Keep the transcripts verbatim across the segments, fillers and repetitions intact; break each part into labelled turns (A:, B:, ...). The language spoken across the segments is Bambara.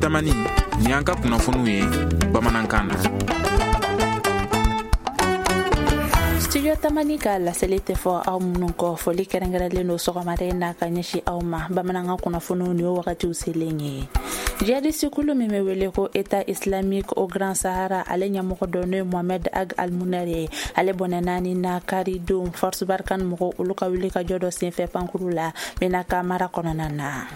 A: Tamani, nin y'an ka kunnafoniw ye bamanankan na.
B: Studio Tamani ka laseli tɛ fɔ aw minnu kɔ, foli kɛrɛnkɛrɛnlen don sɔgɔmada in na ka ɲɛsin aw ma. Bamanankan kunnafoniw nin ye wagatiw selen ye. Jihadiste kulu min bɛ wele ko État islamique au Grand Sahara, ale ɲɛmɔgɔ dɔ n'o ye Mohamed Ag Almoner ye, ale bɔnɛ ni na kari don Force Barkhane mɔgɔw olu ka wuli ka jɔ dɔ senfɛ pankuru la Menaka mara kɔnɔna na.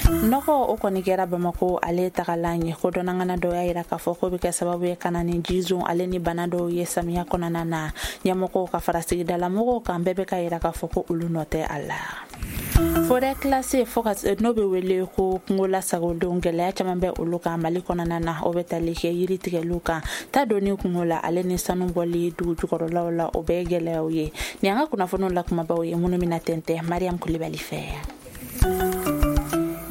B: Nɔgɔ o kɔni kɛra Bamako ale tagalan ye. Kodɔnnangana dɔw y'a yira k'a fɔ k'o bɛ kɛ sababu ye ka na ni jizon ale ni bana dɔw ye samiya kɔnɔna na. Ɲɛmɔgɔw ka fara sigidalamɔgɔw kan bɛɛ bɛ ka yira k'a fɔ ko olu nɔ tɛ a la. Forêt classée fo ka n'o bɛ wele ko kungo lasagolenw, gɛlɛya caman bɛ olu kan Mali kɔnɔna na. O bɛ tali kɛ yiri tigɛliw kan, ta donni kungo la ale ni sanu bɔli dugu jukɔrɔlaw la, o bɛɛ ye gɛlɛyaw ye. Nin y'an ka kunnafoniw la kumabaw ye minnu bɛna tɛntɛn Mariam Kulibali fɛ.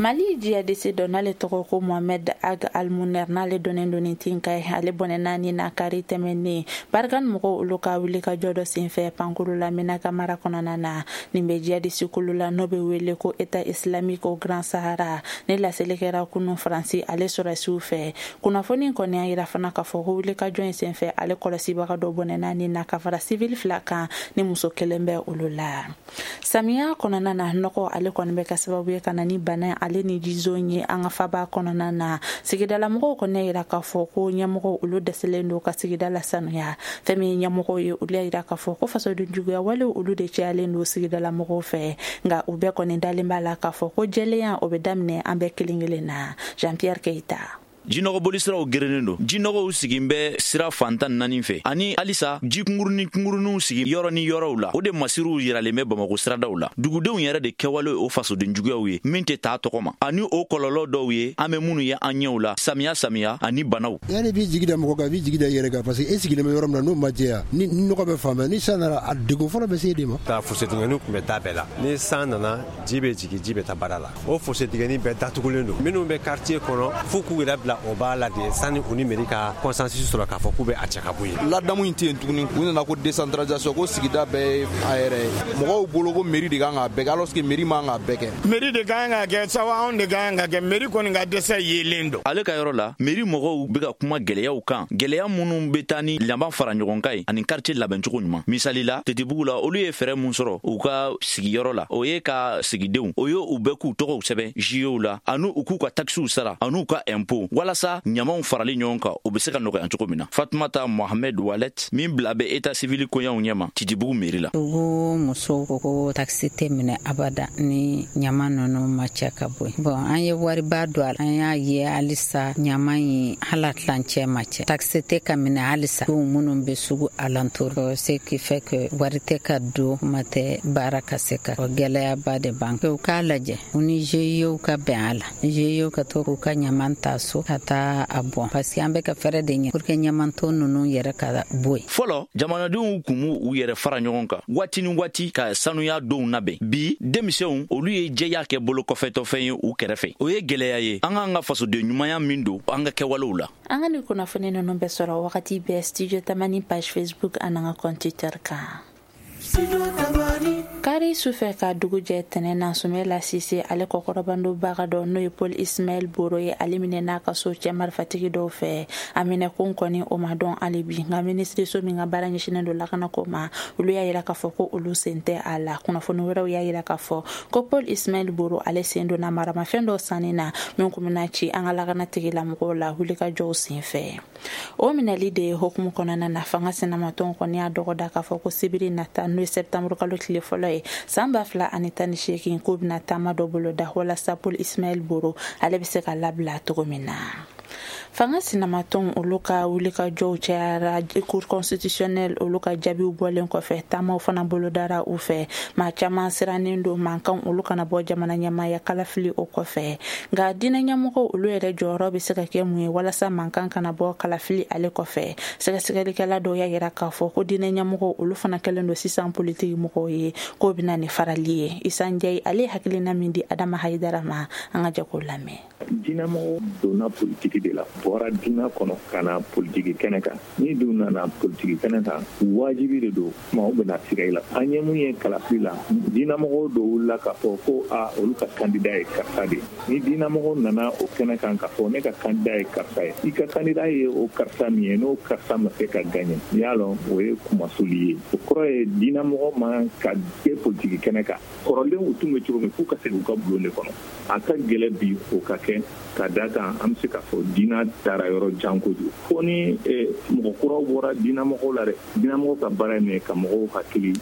B: Mali jihadiste dɔ n'ale tɔgɔ ko Mohamed Ag Almoner, n'ale dɔnnen don ni Tinka ye, ale bɔnɛ naani na kari tɛmɛnen Barkhane mɔgɔw olu ka wuli ka jɔ dɔ senfɛ pankuru la Menaka mara kɔnɔna na. Nin bɛ jihadiste kulu la n'o bɛ wele ko État islamique au Grand Sahara. Ni laseli kɛra kunun Faransi ale sɔrɔsiw fɛ. Kunnafoni kɔni y'a yira fana k'a fɔ ko wuli ka jɔ in senfɛ ale kɔlɔsibaga dɔ bɔnɛ naani na ka fara civil fila kan ni muso kelen bɛ olu la. Samiya kɔnɔna na, nɔgɔ ale kɔni bɛ kɛ sababu ye ka na ni bana ale ni jizon ye an ka faba kɔnɔna na. Sigidalamɔgɔw kɔni y'a yira k'a fɔ ko ɲɛmɔgɔw olu dɛsɛlen don ka sigida lasanuya. Fɛn min ye ɲɛmɔgɔw ye, olu y'a yira k'a fɔ ko fasoden juguya walew olu de cayalen don sigidalamɔgɔw fɛ, nka u bɛɛ kɔni dalen b'a la k'a fɔ ko jɛlenya o bɛ daminɛ an bɛɛ kelen kelen na. Jean Pierre Keita.
C: Jinɔgɔ bolisiraw gerennen don, jinɔgɔw sigin bɛ sira fantan naani fɛ, ani halisa ji kunkurunin kunkuruninw sigi yɔrɔ ni yɔrɔw la. O de masiriw yiralen bɛ Bamako siradaw la. Dugudenw yɛrɛ de kɛwale o fasoden juguyaw ye min tɛ taa tɔgɔ ma, ani o kɔlɔlɔ dɔw ye an bɛ minnu ye an ɲɛw la samiya samiya ani banaw.
D: Yanni b'i jigi da mɔgɔ kan, i b'i jigi da i yɛrɛ kan, parce que e sigilen bɛ yɔrɔ min na n'o ma jɛya, ni nɔgɔ bɛ fan bɛɛ, ni san nana a degun fɔlɔ bɛ se e de ma.
E: Taa fosse dingɛnin tun bɛ da bɛɛ la, ni san nana ji bɛ jigin, ji bɛ taa baara la. O fosse dingɛnin bɛɛ datugulen don. Minnu bɛ quartier kɔnɔ f'u k'u yɛrɛ bila o b'a la de sani u ni mairie ka consensus sɔrɔ k'a fɔ k'u bɛ a cɛ ka bɔ yen.
F: Ladamu in tɛ yen tuguni. U nana ko décentralisation, ko sigida bɛɛ ye a yɛrɛ ye. Mɔgɔw bolo ko mairie de kan k'a bɛɛ kɛ, alors que mairie man k'a bɛɛ kɛ.
G: Mairie de kan ka kɛ sawa, anw de kan ka kɛ. Mairie kɔni ka dɛsɛ yelen don.
C: Ale ka yɔrɔ la, mairie mɔgɔw bɛ ka kuma gɛlɛyaw kan, gɛlɛya minnu bɛ taa ni laban fara ɲɔgɔn kan ye ani quartier labɛncogo ɲuman. Misali la, Tetibugu la, olu ye fɛɛrɛ mun sɔrɔ u ka sigiyɔrɔ la, o ye ka sigidenw o ye u bɛɛ k'u tɔgɔw sɛbɛn J Ow la, ani u k'u ka taxes sara ani u ka impôt, walasa ɲamaw farali ɲɔgɔn kan o bɛ se ka nɔgɔya cogo min na. Fatumata Mohamed Walet min bila bɛ état civil koɲɛw ɲɛma Titibugu mairie la.
H: Dugu musow ko ko taxi tɛ minɛ abada ni ɲama ninnu ma cɛ ka bɔ yen. Bon, an ye wariba don a la, an y'a ye halisa ɲama in hala tilancɛ ma cɛ. Taxi tɛ ka minɛ halisa minnu bɛ sugu alentour, ce qui fait que wari tɛ ka don, kuma tɛ baara ka se ka. Gɛlɛyaba de b'an kan. U k'a lajɛ u ni G I E ka bɛn a la, G I E ka to k'u ka ɲama ta so ka taa a bɔn, parce que an bɛ ka fɛɛrɛ de ɲini pour que ɲamanton ninnu yɛrɛ ka bɔ yen.
C: Fɔlɔ, jamanadenw kun b'u u yɛrɛ fara ɲɔgɔn kan waati ni waati ka sanuya donw labɛn. Bi denmisɛnw olu ye jɛya kɛ bolo kɔfɛtɔfɛn ye u kɛrɛfɛ. O ye gɛlɛya ye an k'an ka fasoden ɲumanya min don an ka kɛwalew la.
B: An ka nin kunnafoni ninnu bɛ sɔrɔ wagati bɛɛ Studio Tamani page Facebook ani an ka compte Twitter kan. Kari sufɛ ka dugu jɛ tɛnɛ na, Sumela Sise ale kɔkɔrɔbandobaga dɔ n'o ye Paul Ismaël Boro ye, ale minɛ n'a ka so cɛ marifatigi dɔw fɛ. A minɛ kun kɔni o ma dɔn hali bi, nka minisiriso min ka baara ɲɛsinnen don lakanako ma, olu y'a yira k'a fɔ ko olu sen tɛ a la. Kunnafoni wɛrɛw y'a yira k'a fɔ ko Paul Ismaël Boro ale sen donna maramafɛn dɔ sanni na min kun bɛna ci an ka lakana tigilamɔgɔw la wulikajɔw sen fɛ. O minɛli de ye hokumu kɔnɔna na, fanga sinamatɔn kɔni y'a dɔgɔda k'a fɔ ko sibiri nata n'o ye septembre kalo tile fɔlɔ ye san ba fila ani tan ni seegin, k'o bɛna taama dɔ boloda walasa Paul Ismaël Boro ale bɛ se ka labila cogo min na. Fanga sinamatɔn olu ka wulikajɔw cayara Cour constitutionnelle olu ka jaabiw bɔlen kɔfɛ, taamaw fana bolodara u fɛ. Maa caman sirannen don mankan olu kana bɔ jamana ɲɛmaaya kalafili o kɔfɛ, nka diinɛ ɲɛmɔgɔw olu yɛrɛ jɔyɔrɔ bɛ se ka kɛ mun ye walasa mankan kana bɔ kalafili ale kɔfɛ. Sɛgɛsɛgɛlikɛla dɔw y'a yira k'a fɔ ko diinɛ ɲɛmɔgɔw olu fana kɛlen don sisan politiki mɔgɔw ye, k'o bɛna ni farali ye. Isa Ndiaye ale hakilina min di Adama Hayidara ma, an ka jɛ k'o lamɛn.
I: Diinɛmɔgɔw donna politiki de la, bɔra diinɛ kɔnɔ ka na politiki kɛnɛ kan. Ni dun nana politiki kɛnɛ kan, wajibi de don maaw bɛna siga i la. An ye mun ye kalafili la, diinɛmɔgɔw dɔw wulila k'a fɔ ko a olu ka candidat ye karisa de ye. Ni diinɛmɔgɔw nana o kɛnɛ kan k'a fɔ ne ka candidat ye karisa ye, i ka candidat ye o karisa min ye, n'o karisa ma se ka gagner, i y'a lɔn o ye kumasuli ye. O kɔrɔ ye diinɛmɔgɔ man ka kɛ politiki kɛnɛ kan. Kɔrɔlen u tun bɛ cogo min, f'u ka segin u ka bulon de kɔnɔ. A ka gɛlɛ bi o ka kɛ ka da kan an bɛ se k'a fɔ diinɛ taara yɔrɔ jan kojugu. Fo ni mɔgɔ kuraw bɔra diinɛmɔgɔw la dɛ. Diinɛmɔgɔw ka baara ye min ye, ka mɔgɔw hakili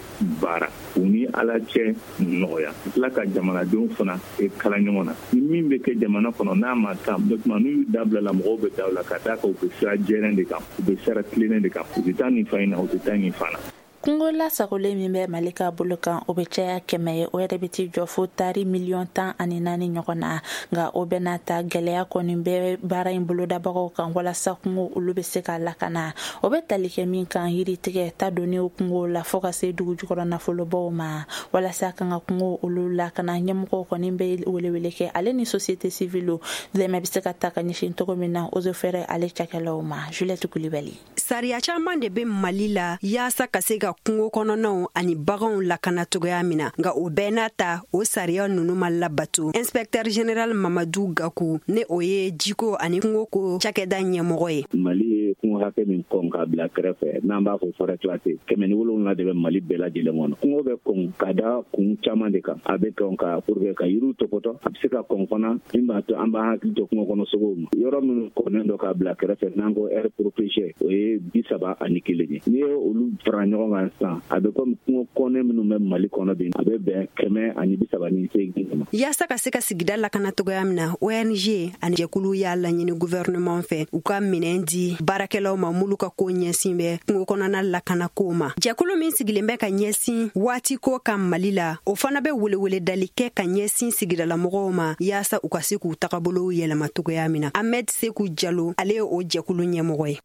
I: baara, u ni Ala cɛ nɔgɔya, tila ka jamanadenw fana kala ɲɔgɔn na. Ni min bɛ kɛ jamana kɔnɔ n'a ma kan, o tuma n'u y'u dabila la, mɔgɔw bɛ da u la ka d'a kan u bɛ sira jɛlen de kan, u bɛ sira tilennen de kan, u tɛ taa nin fan in na, u tɛ taa nin fan na.
B: Kungo lasagolen min bɛ Mali ka bolo kan, o bɛ caya kɛmɛ ye, o yɛrɛ bɛ t'i jɔ fo tari miliyɔn tan ani naani ɲɔgɔn na. Nka o bɛɛ n'a ta, gɛlɛya kɔni bɛ baara in bolodabagaw kan walasa kungo olu bɛ se ka lakana. O bɛ tali kɛ min kan, yiritigɛ ta donni kungo la fo ka se dugu jukɔrɔ nafolobaw ma. Walasa kan ka kungo olu lakana, ɲɛmɔgɔw kɔni bɛ welewele kɛ ale ni société civile dɛmɛ bɛ se ka ta ka ɲɛsin cogo min na eaux et forêts ale cakɛlaw ma. Juliette Kulibali.
J: Sariya caman de bɛ Mali la yaasa ka se ka kungo kɔnɔnaw ani baganw lakana cogoya min na, nka o bɛɛ n'a ta, o sariya ninnu ma labato. Inspecteur général Mamadu Gaku, ne o ye jiko ani kungo ko cakɛda ɲɛmɔgɔ ye.
K: Mali ye kungo hakɛ min kɔn k'a bila kɛrɛfɛ, n'an b'a fɔ forêt classée, kɛmɛ ni wolonwula de bɛ Mali bɛɛ lajɛlen kɔnɔ. Kungo bɛ kɔn ka da kun caman de kan. A bɛ kɔn ka pour que ka yiriw tɔpɔtɔ, a bɛ se ka kɔn fana min b'a to an b'an hakili to kungo kɔnɔ sogow ma. Yɔrɔ minnu kɔnnen don k'a bila kɛrɛfɛ, n'an ko aire protégée, o ye bi saba ani kelen ye. N'i ye olu fara ɲɔgɔn kan sisan, a bɛ komi kungo kɔnɛ minnu bɛ Mali kɔnɔ bi, a bɛ bɛn kɛmɛ ani bi saba ni seegin ma.
J: Yaasa ka se ka sigida lakana cogoya min na, O N G ani jɛkulu y'a laɲini gouvernement fɛ u ka minɛn di baarakɛlaw ma minnu ka ko ɲɛsin bɛ kungo kɔnɔna lakana ko ma. Jɛkulu min sigilen bɛ ka ɲɛsin waati ko kan Mali la, o fana bɛ welewele dali kɛ ka ɲɛsin sigidalamɔgɔw ma yaasa u ka se k'u tagabolow yɛlɛma cogoya min na. Ahmed Seku Jalo, ale ye o jɛkulu ɲɛmɔgɔ ye.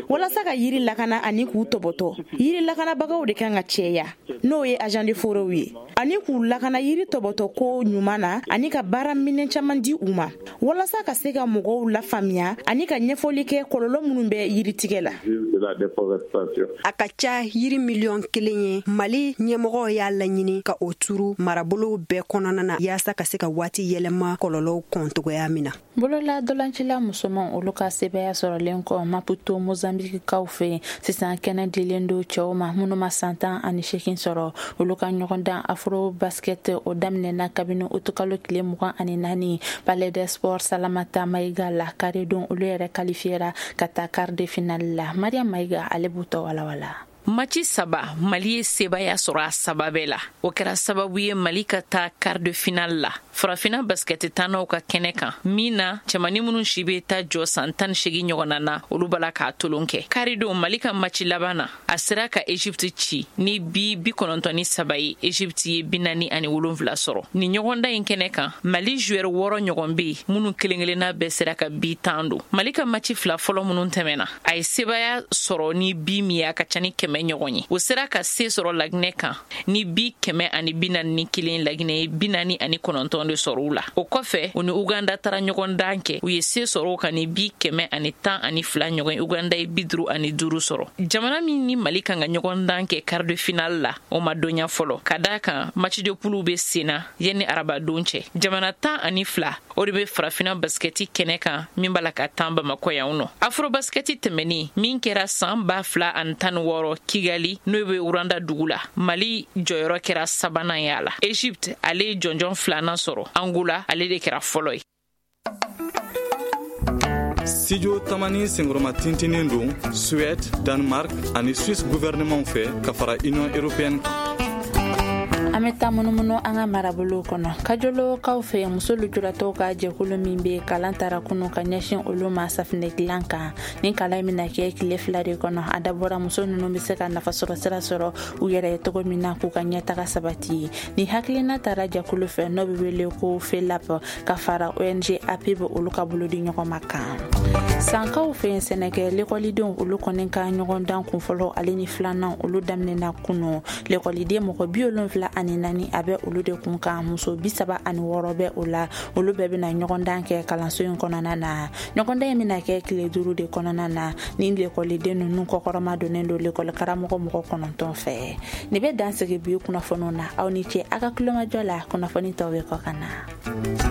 L: Walasa ka yiri lakana ani k'u tɔbɔtɔ, yiri lakanabagaw de kan ka cɛya, n'o ye agent de forêt ye, ani k'u lakana yiri tɔbɔtɔ ko ɲuman na, ani ka baara minɛn caman di u ma walasa ka se ka mɔgɔw lafaamuya ani ka ɲɛfɔli kɛ kɔlɔlɔ minnu bɛ yiritigɛ la.
J: A ka ca yiri miliyɔn kelen ye, Mali ɲɛmɔgɔw y'a laɲini ka o turu marabolow bɛɛ kɔnɔna na yaasa ka se ka waati yɛlɛma kɔlɔlɔw kɔn cogoya min na.
B: Bolola dolancila musoman olu ka sebaya sɔrɔlen kɔ Maputo Mozambique-kaw fɛ, sisan kɛnɛ dilen don cɛw ma minnu ma san tan ani seegin sɔrɔ. Olu ka ɲɔgɔndan Afro Basket o daminɛna kabini utukalo tile mugan ani naani Palais des Sports Salamata Mayiga la. Karidon olu yɛrɛ qualifiera ka taa quart de finale la. Mariam Mayiga ale b'u tɔ walawala.
M: Match saba, Mali ye sebaya sɔrɔ a saba bɛɛ la. O kɛra sababu ye Mali ka taa quart de finale la Farafinna basket tannaw ka kɛnɛ kan, min na cɛmani minnu si bɛ taa jɔ san tan ni seegin ɲɔgɔnna na, olu b'a la k'a tolon kɛ. Karidon Mali ka match laban na, a sera ka Egypte ci ni bi bi kɔnɔntɔn ni saba ye. Egypte ye bi naani ani wolonfila sɔrɔ. Nin ɲɔgɔndan in kɛnɛ kan, Mali joueur wɔɔrɔ ɲɔgɔn bɛ yen minnu kelen kelenna bɛɛ sera ka bi tan don. Mali ka match fila fɔlɔ minnu tɛmɛna, a ye sebaya sɔrɔ ni bi min ye, a ka ca ni kɛmɛ ɲɔgɔn ye. O sera ka se sɔrɔ Laginɛ kan ni bi kɛmɛ ani bi naani ni kelen, Laginɛ ye bi naani ani kɔnɔntɔn de sɔrɔ u la. O kɔfɛ, u ni Uganda taara ɲɔgɔn dan kɛ, u ye se sɔrɔ o kan ni bi kɛmɛ ani tan ani fila ɲɔgɔn ye. Uganda ye bi duuru ani duuru sɔrɔ. Jamana min ni Mali kan ka ɲɔgɔn dan kɛ quart de finale la, o ma dɔnya fɔlɔ, ka d'a kan match de poule bɛ sen na yanni arabadon cɛ. Jamana tan ani fila o de bɛ Farafinna basketi kɛnɛ kan min b'a la ka tan Bamakɔ yan nɔ. Afro basketi tɛmɛnen min kɛra san ba fila ani tan ni wɔɔrɔ Kigali, n'o bɛ Rwanda dugu la, Mali jɔyɔrɔ kɛra sabanan ye a la. Egypte ale ye jɔnjɔn filanan sɔrɔ, Angola ale de kɛra fɔlɔ ye.
N: Studio Tamani senkɔrɔma tintinen don Suède, Danemark ani Suisse gouvernement fɛ ka fara Union européenne kan.
B: An bɛ taa munumunu an ka marabolow kɔnɔ. Kajolokaw fɛ, muso lujuratɔw ka jɛkulu min bɛ kalan tara kunu ka ɲɛsin olu ma safinɛ dilan kan. Ni kalan in bɛna kɛ tile fila de kɔnɔ, a dabɔra muso ninnu bɛ se ka nafasɔrɔ sira sɔrɔ u yɛrɛ ye cogo min na k'u ka ɲɛtaga sabati. Ni hakilina taara jɛkulu fɛ n'o bɛ wele ko FELAP ka fara O N G A P B olu ka bolo di ɲɔgɔn ma kan. Sankaw fɛ, sɛnɛkɛ lekɔlidenw olu kɔni ka ɲɔgɔndan kunfɔlɔ ale ni filanan olu daminɛna kunu. Lekɔliden mɔgɔ bi wolonfila ani naani a bɛ olu de kun kan, muso bi saba ani wɔɔrɔ bɛ o la. Olu bɛɛ bɛna ɲɔgɔndan kɛ kalanso in kɔnɔna na. Ɲɔgɔndan in bɛna kɛ tile duuru de kɔnɔna na. Ni lekɔliden ninnu kɔkɔrɔma donnen don lekɔli karamɔgɔ mɔgɔ kɔnɔntɔn fɛ. Nin bɛ dan sigi bi kunnafoniw na. Aw ni ce a ka kulomajɔ la. Kunnafoni tɔw bɛ kɔ ka na.